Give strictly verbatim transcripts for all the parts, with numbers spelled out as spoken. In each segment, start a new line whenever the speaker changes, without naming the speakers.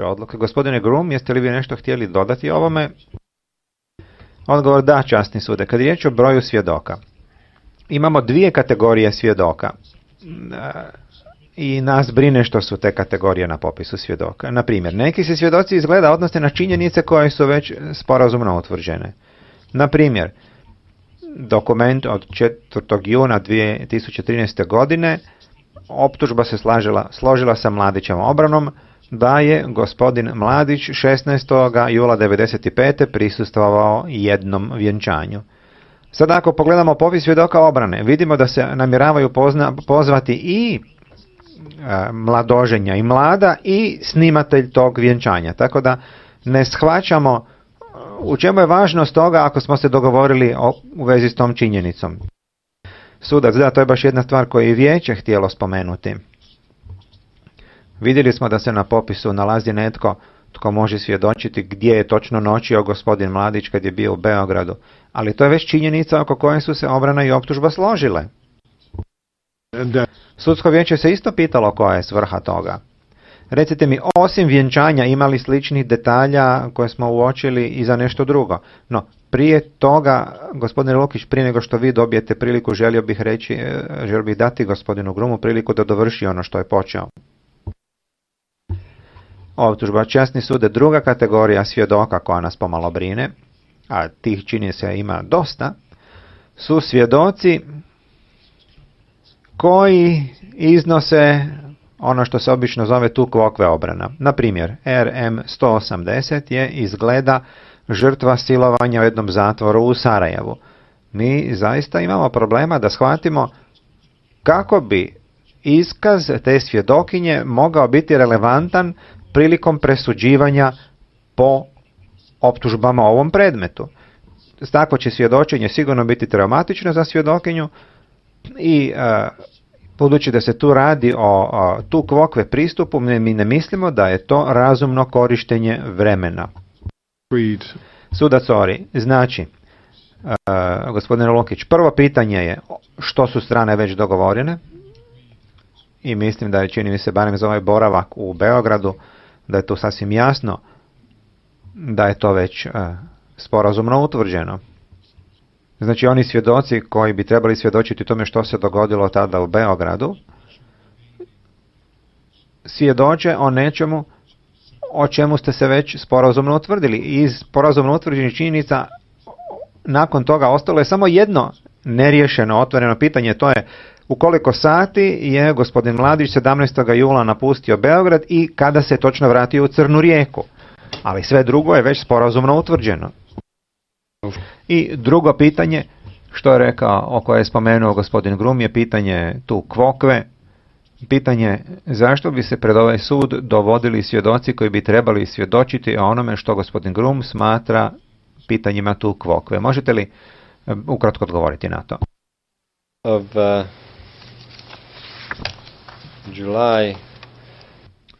odluke. Gospodine Groom, jeste li vi nešto htjeli dodati ovome? Odgovor da, časni sude. Kad je riječ o broju svjedoka, imamo dvije kategorije svjedoka i nas brine što su te kategorije na popisu svjedoka. Na primjer, neki se svjedoci izgleda odnose na činjenice koje su već sporazumno utvrđene. Na primjer, dokument od četvrtog juna dvije tisuće trinaeste. godine, optužba se slažila, složila sa Mladićevom obranom da je gospodin Mladić šesnaestog jula devedeset pete. prisustvovao jednom vjenčanju. Sada ako pogledamo popis svjedoka obrane, vidimo da se namjeravaju pozna, pozvati i e, mladoženja i mlada i snimatelj tog vjenčanja. Tako da ne shvaćamo u čemu je važnost toga ako smo se dogovorili o, u vezi s tom činjenicom. Sudac, da, to je baš jedna stvar koju je vijeće htjelo spomenuti. Vidjeli smo da se na popisu nalazi netko tko može svjedočiti gdje je točno noćio gospodin Mladić kad je bio u Beogradu, ali to je već činjenica oko koje su se obrana i optužba složile.
Da.
Sudsko vijeće se isto pitalo koja je svrha toga. Recite mi, osim vjenčanja imali sličnih detalja koje smo uočili i za nešto drugo. No, prije toga, gospodine Lukić, prije nego što vi dobijete priliku, želio bih reći, želio bih dati gospodinu Grumu priliku da dovrši ono što je počeo. Optužba, časni sude, druga kategorija svjedoka koja nas pomalo brine, a tih čini se ima dosta, su svjedoci koji iznose ono što se obično zove tu kvokve obrana. Na primjer, R M sto osamdeset je izgleda žrtva silovanja u jednom zatvoru u Sarajevu. Mi zaista imamo problema da shvatimo kako bi iskaz te svjedokinje mogao biti relevantan prilikom presuđivanja po optužbama o ovom predmetu. Takvo će svjedočenje sigurno biti traumatično za svjedokinju i e, budući da se tu radi o, o tu kvokve pristupu, mi ne mislimo da je to razumno korištenje vremena.
Read.
Sudac Ori, znači, uh, gospodine Lukić, prvo pitanje je što su strane već dogovorene i mislim da je, čini mi se, barem za ovaj boravak u Beogradu, da je tu sasvim jasno da je to već uh, sporazumno utvrđeno. Znači, oni svjedoci koji bi trebali svjedočiti tome što se dogodilo tada u Beogradu, svjedoče o nečemu o čemu ste se već sporazumno utvrdili. Iz sporazumno utvrđenih činjenica nakon toga ostalo je samo jedno neriješeno, otvoreno pitanje, to je u koliko sati je gospodin Mladić sedamnaestog jula napustio Beograd i kada se točno vratio u Crnu Rijeku. Ali sve drugo je već sporazumno utvrđeno. I drugo pitanje, što je rekao, o koje je spomenuo gospodin Grum, je pitanje tu kvokve. Pitanje zašto bi se pred ovaj sud dovodili svjedoci koji bi trebali svjedočiti o onome što gospodin Grum smatra pitanjima tu kvokve. Možete li ukratko odgovoriti na to?
Of uh, July.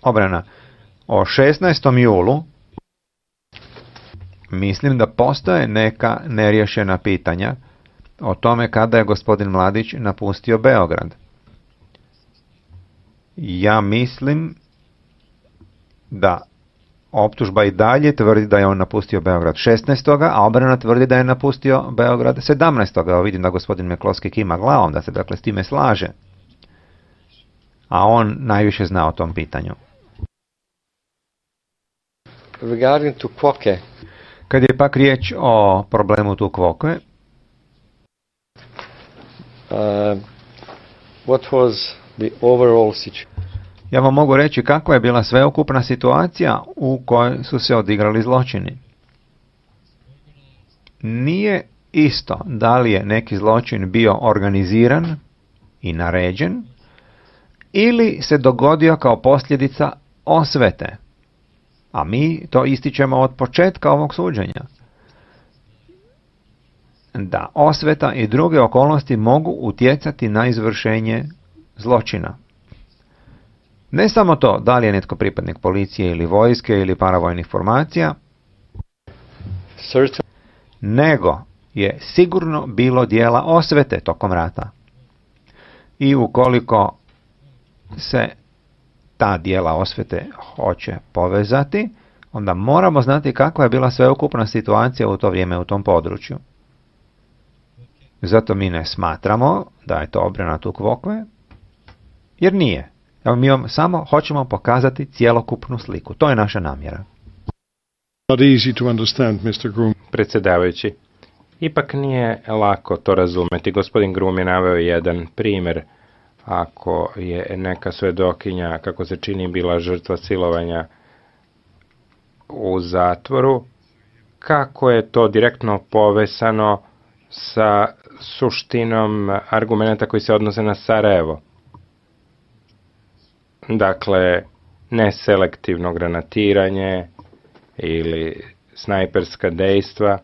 Obrana. O šesnaestom julu mislim da postoje neka neriješena pitanja o tome kada je gospodin Mladić napustio Beograd. Ja mislim da optužba i dalje tvrdi da je on napustio Beograd šesnaestog a obrana tvrdi da je napustio Beograd sedamnaestog Evo vidim da gospodin Meklovski kima glavom, da se dakle s time slaže. A on najviše zna o tom pitanju.
Regarding to Kvoke.
Kad je pak riječ o problemu tu Kvokve,
Uh, what was the overall situation?
Ja vam mogu reći kakva je bila sveukupna situacija u kojoj su se odigrali zločini. Nije isto da li je neki zločin bio organiziran i naređen ili se dogodio kao posljedica osvete. A mi to ističemo od početka ovog suđenja. Da osveta i druge okolnosti mogu utjecati na izvršenje zločina. Ne samo to da li je netko pripadnik policije ili vojske ili paravojnih formacija,
Certain.
nego je sigurno bilo dijela osvete tokom rata. I ukoliko se ta dijela osvete hoće povezati, onda moramo znati kakva je bila sveukupna situacija u to vrijeme u tom području. Zato mi ne smatramo da je to obrana Tukvokve, jer nije. Evo, mi vam samo hoćemo pokazati cjelokupnu sliku. To je naša namjera.
Not easy to understand, mister Groom.
Predsjedavajući, ipak nije lako to razumeti. Gospodin Groom je naveo jedan primjer. Ako je neka svedokinja, kako se čini, bila žrtva silovanja u zatvoru, kako je to direktno povezano sa suštinom argumenta koji se odnose na Sarajevo. Dakle, neselektivno granatiranje ili snajperska dejstva,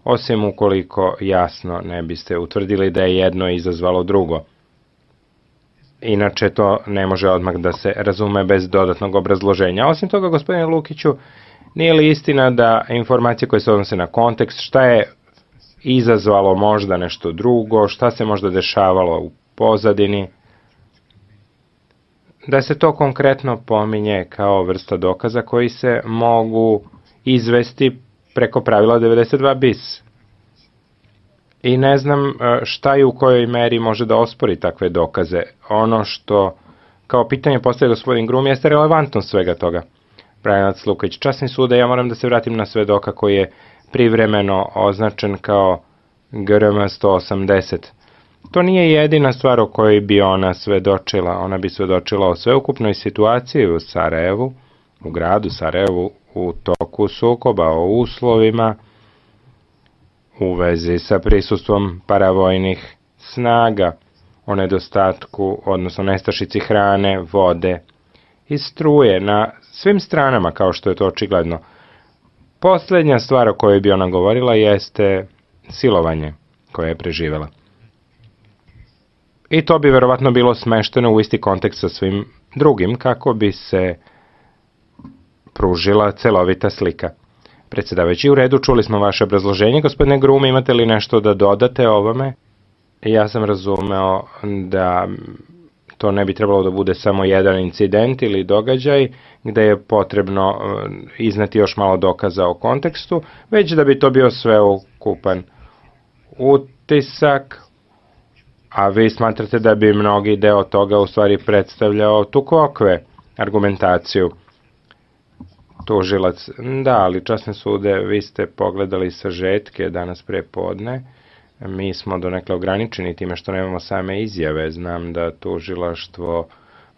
osim ukoliko jasno ne biste utvrdili da je jedno izazvalo drugo. Inače to ne može odmah da se razume bez dodatnog obrazloženja. Osim toga, gospodine Lukiću, nije li istina da informacije koje se odnose na kontekst, šta je izazvalo možda nešto drugo, šta se možda dešavalo u pozadini, da se to konkretno pominje kao vrsta dokaza koji se mogu izvesti preko pravila devedeset dva bis. I ne znam šta i u kojoj meri može da ospori takve dokaze. Ono što kao pitanje postaje gospodin Grum jeste relevantnost svega toga. Branilac Lukić, časni sude, ja moram da se vratim na svedoka koji je privremeno označen kao G R M sto osamdeset. To nije jedina stvar o kojoj bi ona svedočila. Ona bi svedočila o sveukupnoj situaciji u Sarajevu, u gradu Sarajevu, u toku sukoba, o uslovima, u vezi sa prisustvom paravojnih snaga, o nedostatku, odnosno nestašici hrane, vode i struje na svim stranama, kao što je to očigledno. Posljednja stvar o kojoj bi ona govorila jeste silovanje koje je preživela. I to bi verovatno bilo smešteno u isti kontekst sa svim drugim, kako bi se pružila celovita slika. Predsjedavajući, u redu, čuli smo vaše obrazloženje. Gospodine Grum, imate li nešto da dodate ovome? Ja sam razumeo da to ne bi trebalo da bude samo jedan incident ili događaj, gde je potrebno izneti još malo dokaza o kontekstu, već da bi to bio sveukupan utisak, a vi smatrate da bi mnogi deo toga u stvari predstavljao Tukvokve argumentaciju. Tužilac, da, ali časne sude, vi ste pogledali sažetke danas pre podne. Mi smo donekle ograničeni time što nemamo same izjave. Znam da tužilaštvo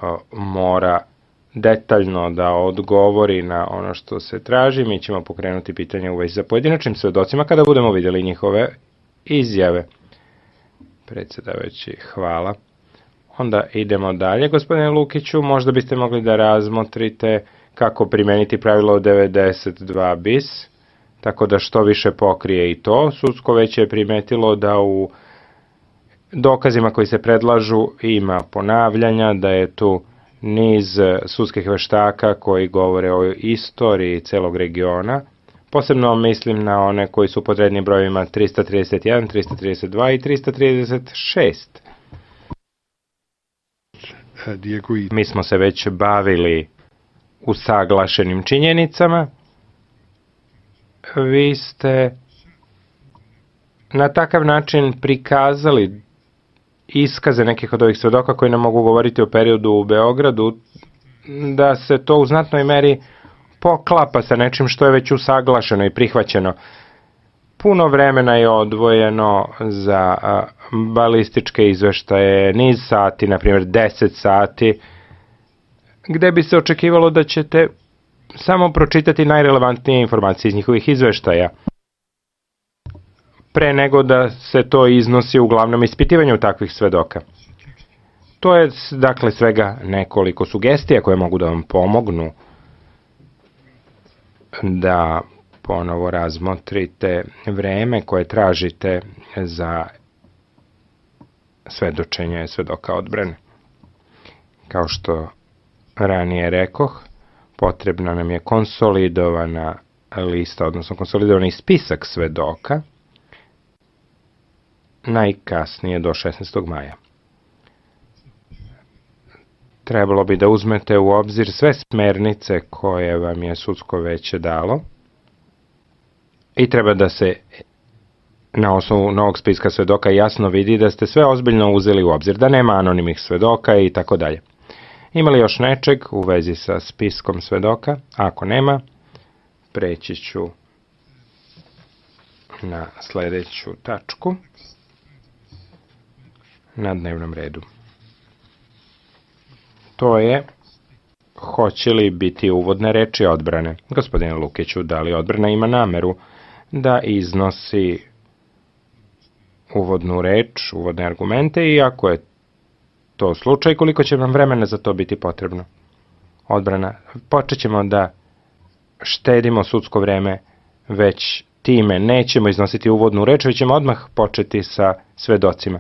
o, mora detaljno da odgovori na ono što se traži. Mi ćemo pokrenuti pitanje u vezi sa pojedinačnim svedocima kada budemo vidjeli njihove izjave. Predsjedavajući, hvala. Onda idemo dalje. Gospodine Lukiću, možda biste mogli da razmotrite kako primeniti pravilo devedeset dva bis, tako da što više pokrije i to. Sudsko veće je primetilo da u dokazima koji se predlažu ima ponavljanja, da je tu niz sudskih veštaka koji govore o istoriji celog regiona. Posebno mislim na one koji su pod rednim brojevima trista trideset jedan, trista trideset dva i trista trideset šest. Mi smo se već bavili usaglašenim činjenicama. Vi ste na takav način prikazali iskaze nekih od ovih svedoka koji nam mogu govoriti o periodu u Beogradu, da se to u znatnoj meri poklapa sa nečim što je već usaglašeno i prihvaćeno. Puno vremena je odvojeno za balističke izveštaje, niz sati, na primjer deset sati, gde bi se očekivalo da ćete samo pročitati najrelevantnije informacije iz njihovih izveštaja, pre nego da se to iznosi u glavnom ispitivanju takvih svedoka. To je, dakle, svega nekoliko sugestija koje mogu da vam pomognu da ponovo razmotrite vreme koje tražite za svedočenje svedoka odbrane. Kao što ranije rekoh, potrebna nam je konsolidovana lista, odnosno konsolidovani spisak svedoka, najkasnije do šesnaestog maja. trebalo bi da uzmete u obzir sve smernice koje vam je sudsko veće dalo i treba da se na osnovu novog spiska svedoka jasno vidi da ste sve ozbiljno uzeli u obzir, da nema anonimnih svedoka i tako dalje. Ima li još nečeg u vezi sa spiskom svedoka? Ako nema, preći ću na sledeću tačku na dnevnom redu. To je, hoće li biti uvodne reči odbrane? Gospodine Lukiću, da li odbrana ima nameru da iznosi uvodnu reč, uvodne argumente i ako je to slučaj, koliko će vam vremena za to biti potrebno? Odbrana, počet ćemo da štedimo sudsko vreme, već time nećemo iznositi uvodnu reč, već ćemo odmah početi sa svedocima.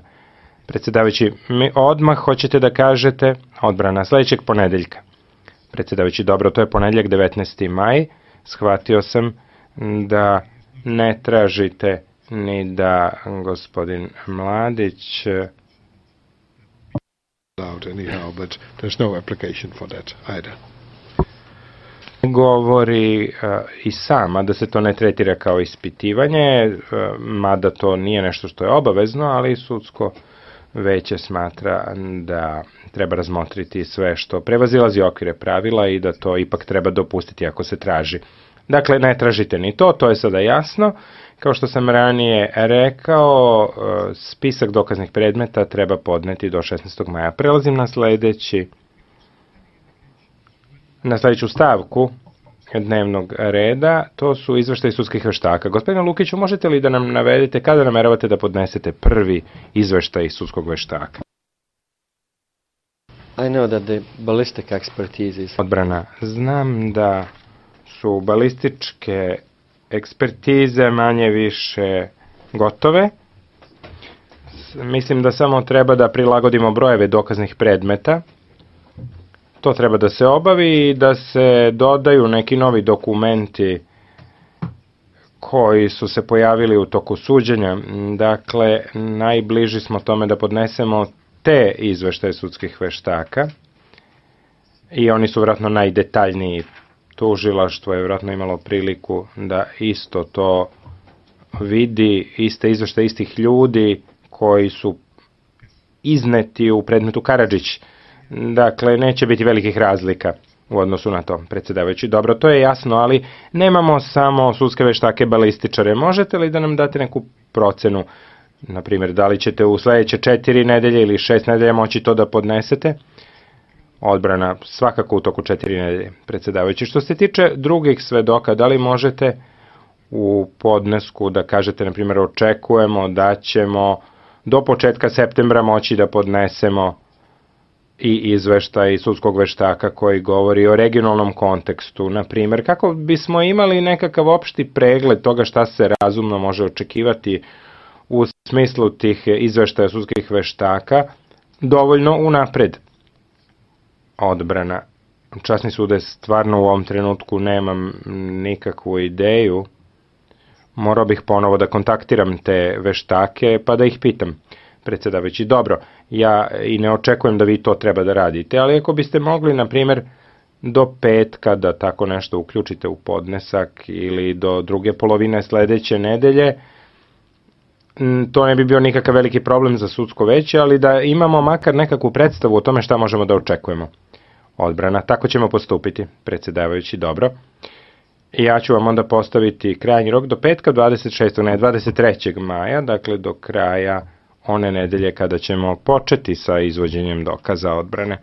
Predsjedavajući, mi odmah hoćete da kažete odbrana sledećeg ponedeljka. Predsjedavajući, dobro, to je ponedeljak devetnaesti maj. Shvatio sam da ne tražite ni da gospodin Mladić
Out anyhow, but there's no application for that either.
govori uh, i sama da se to ne tretira kao ispitivanje, uh, mada to nije nešto što je obavezno, ali sudsko veće smatra da treba razmotriti sve što prevazilazi okvire pravila i da to ipak treba dopustiti ako se traži. Dakle, ne tražite ni to, to je sada jasno. Kao što sam ranije rekao, spisak dokaznih predmeta treba podneti do šesnaestog maja. Prelazim na sledeći, na sledeću stavku dnevnog reda, to su izveštaji sudskih veštaka. Gospodine Lukiću, možete li da nam navedete kada nameravate da podnesete prvi izveštaj sudskog veštaka?
I know that the ballistic expertise is
Odbrana, znam da su balističke ekspertize manje više gotove. Mislim da samo treba da prilagodimo brojeve dokaznih predmeta. To treba da se obavi i da se dodaju neki novi dokumenti koji su se pojavili u toku suđenja. Dakle, najbliži smo tome da podnesemo te izveštaje sudskih veštaka i oni su vjerojatno najdetaljniji. Tužilaštvo je vjerojatno imalo priliku da isto to vidi, iste izveštaje istih ljudi koji su izneti u predmetu Karadžić. Dakle, neće biti velikih razlika u odnosu na to, predsjedavajući. Dobro, to je jasno, ali nemamo samo sudske veštake balističare. Možete li da nam date neku procenu? Naprimjer, da li ćete u sledeće četiri nedelje ili šest nedelja moći to da podnesete? Odbrana, svakako u toku četiri nedelje, predsjedavajući. Što se tiče drugih svedoka, da li možete u podnesku da kažete, na primjer, očekujemo da ćemo do početka septembra moći da podnesemo i izveštaj sudskog veštaka koji govori o regionalnom kontekstu, na primjer, kako bismo imali nekakav opšti pregled toga šta se razumno može očekivati u smislu tih izveštaja sudskih veštaka, dovoljno unapred. Odbrana. Časni sude, stvarno u ovom trenutku nemam nikakvu ideju. Morao bih ponovo da kontaktiram te veštake pa da ih pitam. Predsjedavajući, dobro, ja i ne očekujem da vi to treba da radite, ali ako biste mogli, na primjer, do petka da tako nešto uključite u podnesak ili do druge polovine sledeće nedelje, to ne bi bio nikakav veliki problem za sudsko veće, ali da imamo makar nekakvu predstavu o tome šta možemo da očekujemo. Odbrana, tako ćemo postupiti, predsjedavajući, dobro. Ja ću vam onda postaviti krajnji rok do petka, dvadeset šestog ne, dvadeset trećeg maja, dakle do kraja one nedelje kada ćemo početi sa izvođenjem dokaza odbrane.